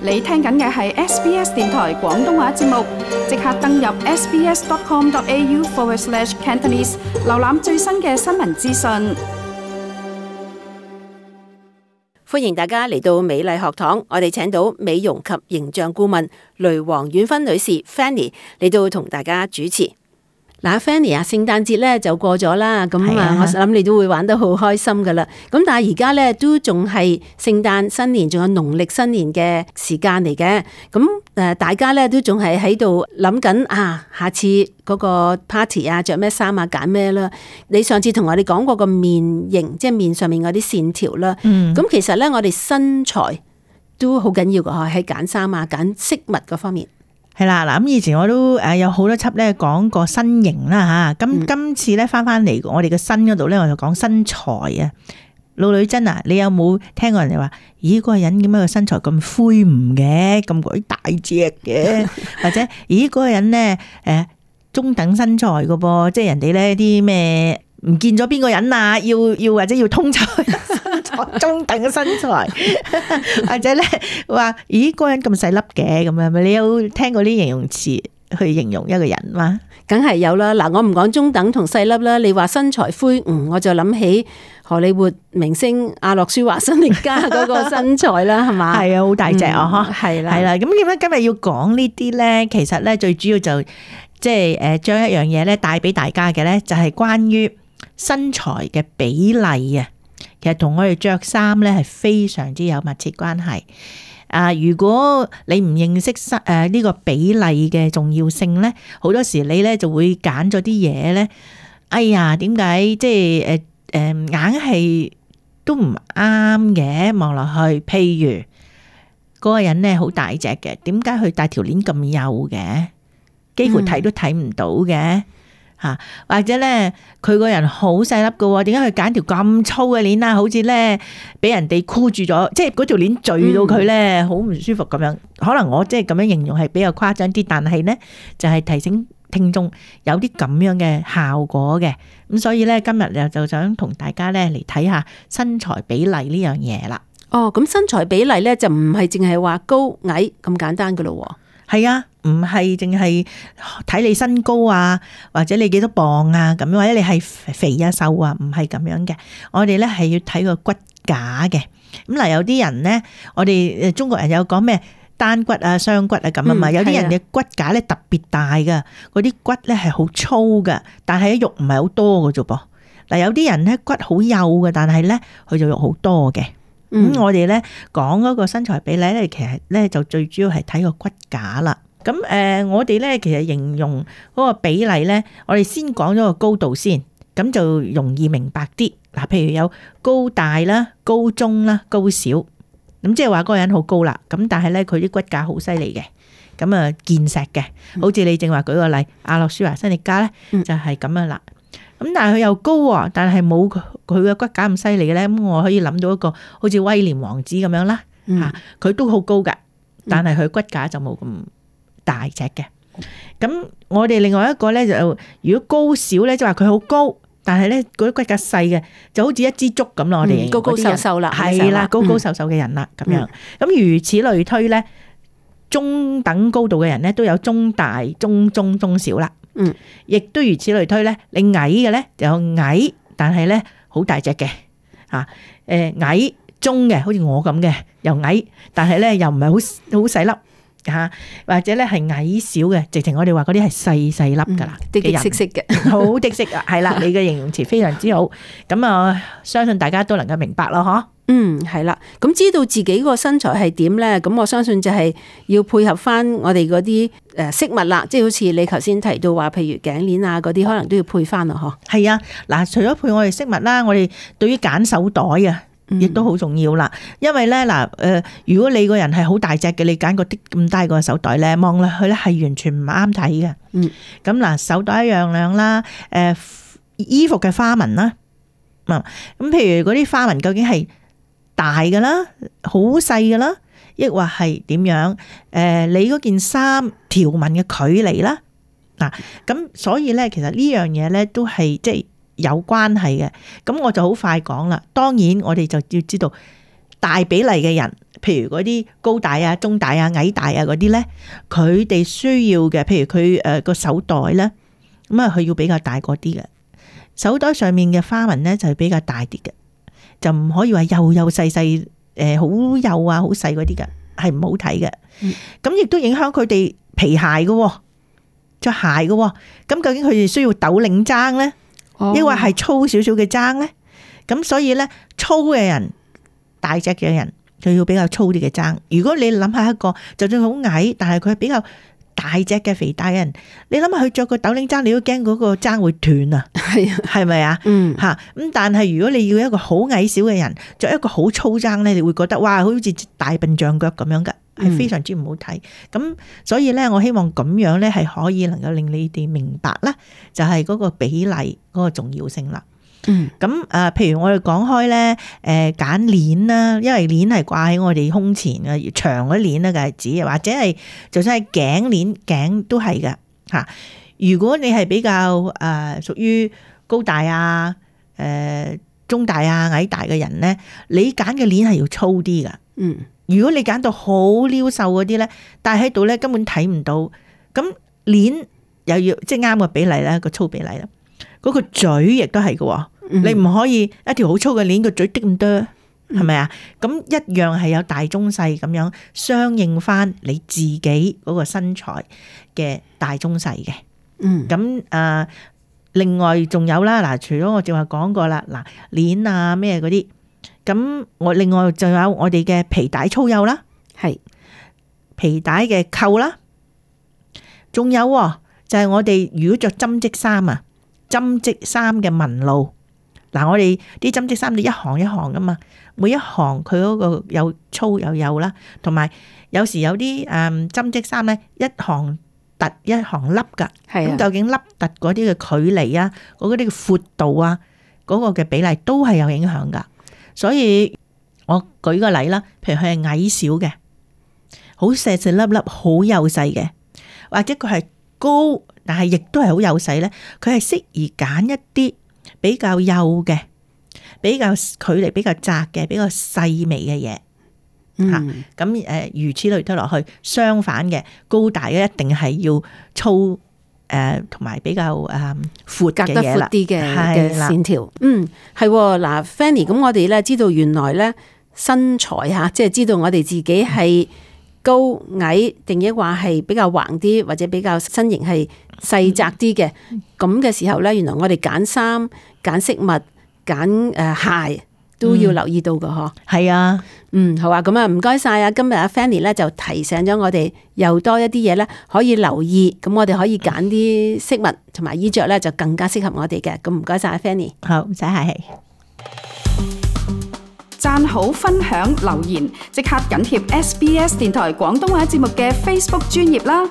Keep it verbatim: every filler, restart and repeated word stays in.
你聽緊嘅係 S B S 電台廣東話節目，即刻登入 sbs.com.au forward slash Cantonese， 瀏覽最新嘅新聞資訊。歡迎大家嚟到美麗學堂，我哋請到美容及形象顧問雷黃婉芬女士 Fanny 嚟到同大家主持。嗱 ，Fanny 啊，聖誕節咧就過咗啦，咁啊，我諗你都會玩得好開心噶啦。咁但係而家咧都仲係聖誕新年，仲有農曆新年嘅時間嚟嘅。咁誒，大家咧都仲係喺度諗緊啊，下次嗰個 party 啊，着咩衫啊，揀咩啦？你上次同我哋講過個面型，即係面上面嗰啲線條啦。咁、嗯、其實咧，我哋身材都好緊要噶，喺揀衫啊、揀飾物嗰方面。係啦，嗱咁以前我都誒有好多輯咧講過身形啦吓，咁、嗯、今次咧翻翻嚟我哋嘅身嗰度咧，我就講身材啊。老女真啊，你有冇聽過人哋話，咦嗰個人點解個身材咁魁梧嘅，咁鬼大隻嘅，或者咦嗰個人咧誒中等身材噶噃，即係人哋咧啲咩唔見咗邊個人啊，要要或者要通菜。中等嘅身材，或者咧話，咦，嗰個人咁細粒嘅咁樣，咪你有聽過啲形容詞去形容一個人嗎？梗係有啦。嗱，我唔講中等同細粒啦，你話身材魁梧，我就諗起荷里活明星阿諾舒華辛力加嗰個身材啦，係嘛？係啊，好大隻啊，嗬、嗯，係啦，係啦。咁點解今日要講呢啲咧？其實咧最主要就即係誒，將一樣嘢咧帶俾大家嘅咧，就係關於身材嘅比例啊。其實同我哋着衫咧係非常之有密切關係。啊，如果你唔認識誒呢個比例嘅重要性咧，好多時你咧就會揀咗啲嘢咧。哎呀，點解即係誒誒硬係都唔啱嘅？望落去，譬如嗰個人咧好大隻嘅，點解佢戴條鏈咁幼嘅？幾乎睇都睇唔到嘅。吓，或者咧，佢個人好細粒嘅，點解佢揀條咁粗嘅鏈啊？好似咧俾人哋箍住咗，即係嗰條鏈墜到佢咧，好唔舒服咁樣。可能我即係咁樣形容係比較誇張啲，但係咧就係提醒聽眾有啲咁樣嘅效果嘅。咁所以咧今日又就想同大家咧嚟睇下身材比例呢樣嘢啦。哦，咁身材比例咧就唔係淨係話高矮咁簡單噶咯。係啊，唔係淨係睇你身高啊，或者你幾多磅啊咁樣，或者你係肥啊瘦啊，唔係咁樣嘅。我哋咧係要睇個骨架嘅。咁嗱，有啲人咧，我哋中國人有講咩單骨啊、雙骨啊咁啊嘛。有啲人嘅骨架咧特別大噶，嗰啲骨咧係好粗噶，但係肉唔係好多㗎啫噃。嗱，有啲人咧骨好幼嘅，但係咧佢就肉好多嘅。咁、嗯、我哋咧講嗰個身材比例咧，其實咧就最主要係睇個骨架啦。咁誒、呃，我哋咧其實形容嗰個比例咧，我哋先講咗個高度先，咁就容易明白啲。嗱，譬如有高大啦、高中啦、高小，咁即係話嗰個人好高啦。咁但係咧佢啲骨架好犀利嘅，咁啊健碩嘅，好似你正話舉個例，阿諾舒華辛力加咧就係咁樣啦。咁但係佢又高啊，但係冇佢嘅骨架咁犀利嘅咧，咁我可以諗到一個好似威廉王子咁樣啦，吓佢、嗯、都好高噶，但係佢骨架就冇咁大隻嘅。咁、嗯、我哋另外一個咧就，如果高小咧，即係話佢好高，但係咧嗰啲骨架細嘅，就好似一支竹咁咯。我哋高高瘦瘦啦，係啦，高高瘦瘦嘅人啦，咁、嗯、樣。咁如此類推咧，中等高度嘅人咧都有中大、中中、中小啦。嗯，亦都如此類推咧，你矮嘅咧就有矮，但係咧好大隻嘅吓，誒矮中嘅，好似我咁嘅，又矮，但係咧又唔係好好細粒吓，或者咧係矮小嘅，直情我哋話嗰啲係細細粒噶啦，啲啲色色嘅，好的色啊，係啦，你嘅形容詞非常之好，咁啊，相信大家都能夠明白咯，嗬。嗯，係啦，咁知道自己個身材係點咧，咁我相信就係要配合翻我哋嗰啲誒飾物啦，即係好似你頭先提到話，譬如頸鏈啊嗰啲，可能都要配翻咯，嗬。係啊，嗱，除咗配我哋飾物啦，我哋對於揀手袋啊，亦都好重要啦。因為咧嗱，誒，如果你個人係好大隻嘅，你揀個啲咁大個手袋咧，望落去咧係完全唔啱睇嘅。嗯，咁嗱，手袋一樣樣啦，誒，衣服嘅花紋啦，咁譬如嗰啲花紋究竟係大㗎啦，好細㗎啦，抑或係點樣？誒、呃，你嗰件衫條紋嘅距離啦，嗱，咁所以咧，其實呢樣嘢咧都係即係有關係嘅。咁我就好快講啦。當然，我哋就要知道大比例嘅人譬如嗰啲高大啊、中大啊、矮大啊嗰啲咧，佢哋需要嘅，譬如佢誒個手袋咧，咁啊佢要比較大個啲嘅，手袋上面嘅花紋咧就係比較大啲嘅，就唔可以話幼幼細細誒好幼啊好細嗰啲嘅，係唔好睇嘅。咁亦都影響佢哋皮鞋嘅，着鞋嘅。咁究竟佢哋需要斗領踭咧，抑或係粗少少嘅踭咧？咁所以咧，粗嘅人、大隻嘅人，就要比較粗啲嘅踭。如果你諗下一個，就算好矮，但係佢係比較大隻嘅肥大嘅人，你諗下佢着個斗領踭，你都驚嗰個踭會斷啊？係啊，係咪啊？嗯，吓咁。但係如果你要一個好矮小嘅人着一個好粗踭咧，你會覺得哇，好似大笨象腳咁樣噶，係非常之唔好睇。咁、嗯、所以咧，我希望咁樣咧係可以能夠令你哋明白咧，就係嗰個比例嗰個重要性啦。嗯，咁誒，譬如我哋講開咧，誒揀鏈啦，因為鏈係掛喺我哋胸前嘅長嗰鏈咧，就係指，或者係就算係頸鏈，頸都係嘅嚇。如果你係比較誒屬於高大啊、誒、呃、中大啊、矮大嘅人咧，你揀嘅鏈係要粗啲噶。嗯，如果你揀到好撩瘦嗰啲咧，戴喺度咧根本睇唔到，咁鏈又要即係啱個比例啦，個粗比例啦，嗰、嗰個嘴亦都係嘅。你唔可以一條好粗嘅鏈個嘴滴咁多，係咪啊？咁一樣係有大中細咁樣相應翻你自己嗰個身材嘅大中細嘅。嗯，咁誒、呃，另外仲有啦，嗱，除咗我正話講過啦，嗱，鏈啊咩嗰啲，咁我另外仲有我哋嘅皮帶粗幼啦，係皮帶嘅扣啦，仲有就係我哋如果着針織衫啊，針織衫嘅紋路。嗱，我哋啲針織衫你一行一行噶嘛，每一行佢嗰個有粗有幼啦，同埋有，有時有啲誒針織衫咧，一行凸一行凹噶，咁、啊、究竟凹凸嗰啲嘅距離啊，嗰啲嘅闊度啊，嗰、嗰個嘅比例都係有影響噶。所以我舉個例啦，譬如佢係矮小嘅，好細細粒粒，好幼細嘅，或者佢係高，但係亦都係好幼細咧，佢係適宜揀一啲比較幼嘅，比較距離比較窄嘅，比較細微嘅嘢吓。咁誒，如此類推落去，相反嘅高大嘅一定係要粗誒，同埋比較誒闊嘅嘢啦，隔得闊啲嘅嘅線條。嗯，係嗱 ，Fanny，咁我哋咧知道原來咧身材吓，即係知道我哋自己係高矮，定抑或係比較橫啲，或者比較身形係細窄啲嘅，咁嘅時候咧，原來我哋揀衫、揀飾物、揀誒鞋都要留意到㗎嗬。係啊，嗯，好啊，咁啊，唔該晒啊！今日阿 Fanny 咧就提醒咗我哋又多一啲嘢咧可以留意，咁我哋可以揀啲飾物同埋衣着咧就更加適合我哋嘅。咁唔該晒阿 Fanny。好，唔使客氣。讚好、分享、留言，即刻緊貼 S B S 電台廣東話節目嘅 Facebook 專頁啦！